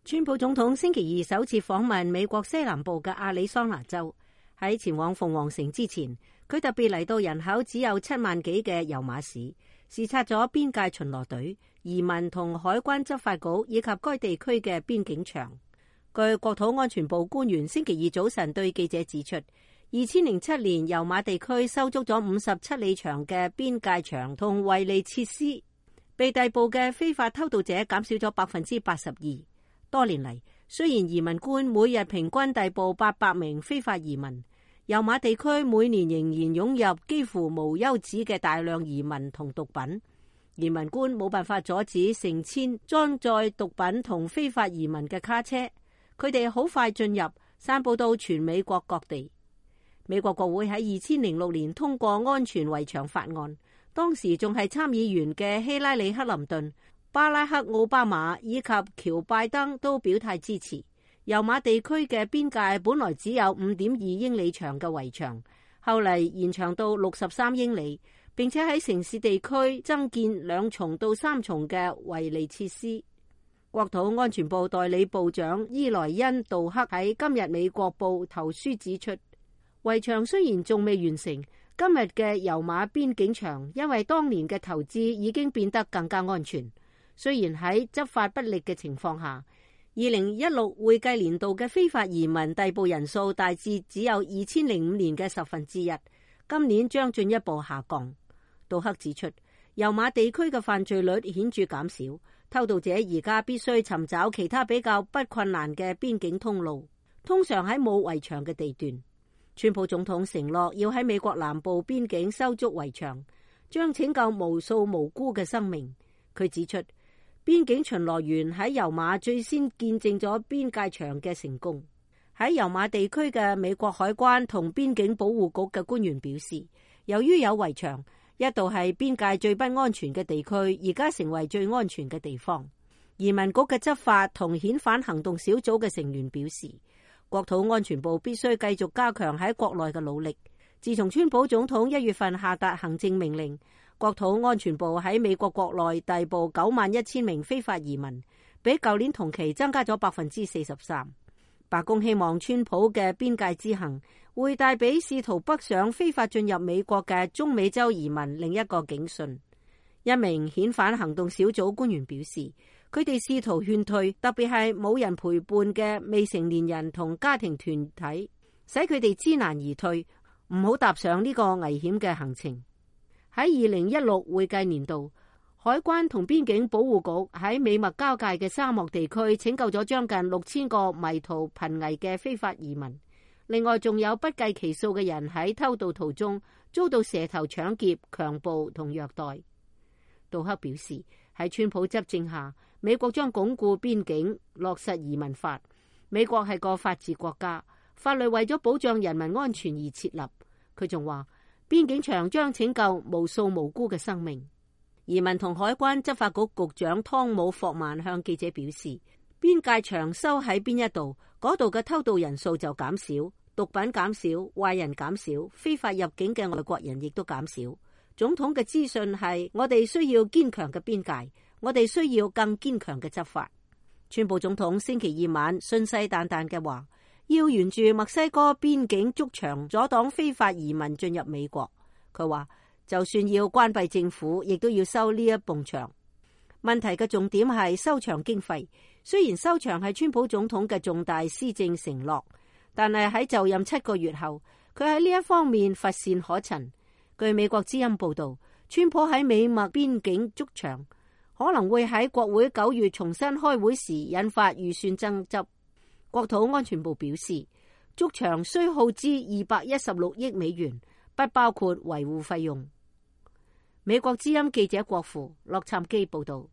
川普總統星期二首次訪問美國西南部嘅亞利桑那州。喺前往鳳凰城之前，佢特別嚟到人口只有7萬幾嘅油馬市，視察咗邊界巡邏隊、移民同海關執法局以及該地區嘅邊境牆。據國土安全部官員星期二早晨對記者指出，2007年油馬地區修築咗57里長嘅邊界牆同圍籬設施，被逮捕嘅非法偷渡者減少咗82%。多年嚟，雖然移民官每日平均逮捕800名非法移民，油馬地區每年仍然湧入幾乎無休止嘅大量移民同毒品。移民官冇辦法阻止成千裝載毒品同非法移民嘅卡車，佢哋好快進入，散佈到全美國各地。美國國會喺2006年通過安全圍牆法案，當時仲係參議員嘅希拉里·克林頓、巴拉克·奧巴馬以及喬拜登都表態支持。油馬地區嘅邊界本來只有5.2英里長嘅圍牆，後嚟延長到63英里，並且喺城市地區增建2重到3重嘅圍籬設施。國土安全部代理部長伊萊恩·杜克喺今日美國報投書指出，圍牆雖然仲未完成，今日嘅油馬邊境牆因為當年嘅投資已經變得更加安全。雖然喺執法不力嘅情況下，2016會計年度嘅非法移民逮捕人數大致只有2005年嘅1/10，今年將進一步下降。杜克指出，油馬地區嘅犯罪率顯著減少，偷渡者而家必須尋找其他比較不困難嘅邊境通路，通常喺冇圍牆嘅地段。川普總統承諾要喺美國南部邊境修築圍牆，將拯救無數無辜嘅生命。佢指出，邊境巡邏員喺油馬最先見證咗邊界牆嘅成功。喺油馬地區嘅美國海關同邊境保護局嘅官員表示，由於有圍牆，一度係邊界最不安全嘅地區，而家成為最安全嘅地方。移民局嘅執法同遣返行動小組嘅成員表示，國土安全部必須繼續加強喺國內嘅努力。自從川普總統1月份下達行政命令，國土安全部喺美國國內逮捕91000名非法移民，比舊年同期增加咗43%。白宮希望川普嘅邊界之行會帶俾試圖北上非法進入美國嘅中美洲移民另一個警訊。一名遣返行動小組官員表示，佢哋試圖勸退，特別係冇人陪伴嘅未成年人同家庭團體，使佢哋知難而退，唔好踏上呢個危險嘅行程。喺2016會計年度，海關同邊境保護局喺美墨交界嘅沙漠地區拯救咗將近6000個迷途瀕危嘅非法移民。另外，仲有不計其數嘅人喺偷渡途中遭到蛇頭搶劫、強暴同虐待。杜克表示，喺川普執政下，美國將鞏固邊境，落實移民法。美國係個法治國家，法律為咗保障人民安全而設立。佢仲話，邊境牆將拯救無數無辜嘅生命。移民同海關執法局局長湯姆霍曼向記者表示，邊界牆修喺邊一度，嗰度嘅偷渡人數就減少，毒品減少，壞人減少，非法入境嘅外國人亦都減少。總統嘅資訊係，我哋需要堅強嘅邊界，我哋需要更堅強嘅執法。川普總統星期二晚信誓旦旦嘅話，要沿住墨西哥邊境築牆，阻擋非法移民進入美國。佢話，就算要關閉政府，亦都要修呢一埲牆。問題嘅重點係修牆經費。雖然修牆係川普總統嘅重大施政承諾，但係喺就任7個月後，佢喺呢一方面乏善可陳。據美國之音報道，川普喺美墨邊境築牆，可能會喺國會9月重新開會時引發預算爭執。國土安全部表示，築牆需耗資216億美元，不包括維護費用。美國之音記者郭芙洛杉磯報道。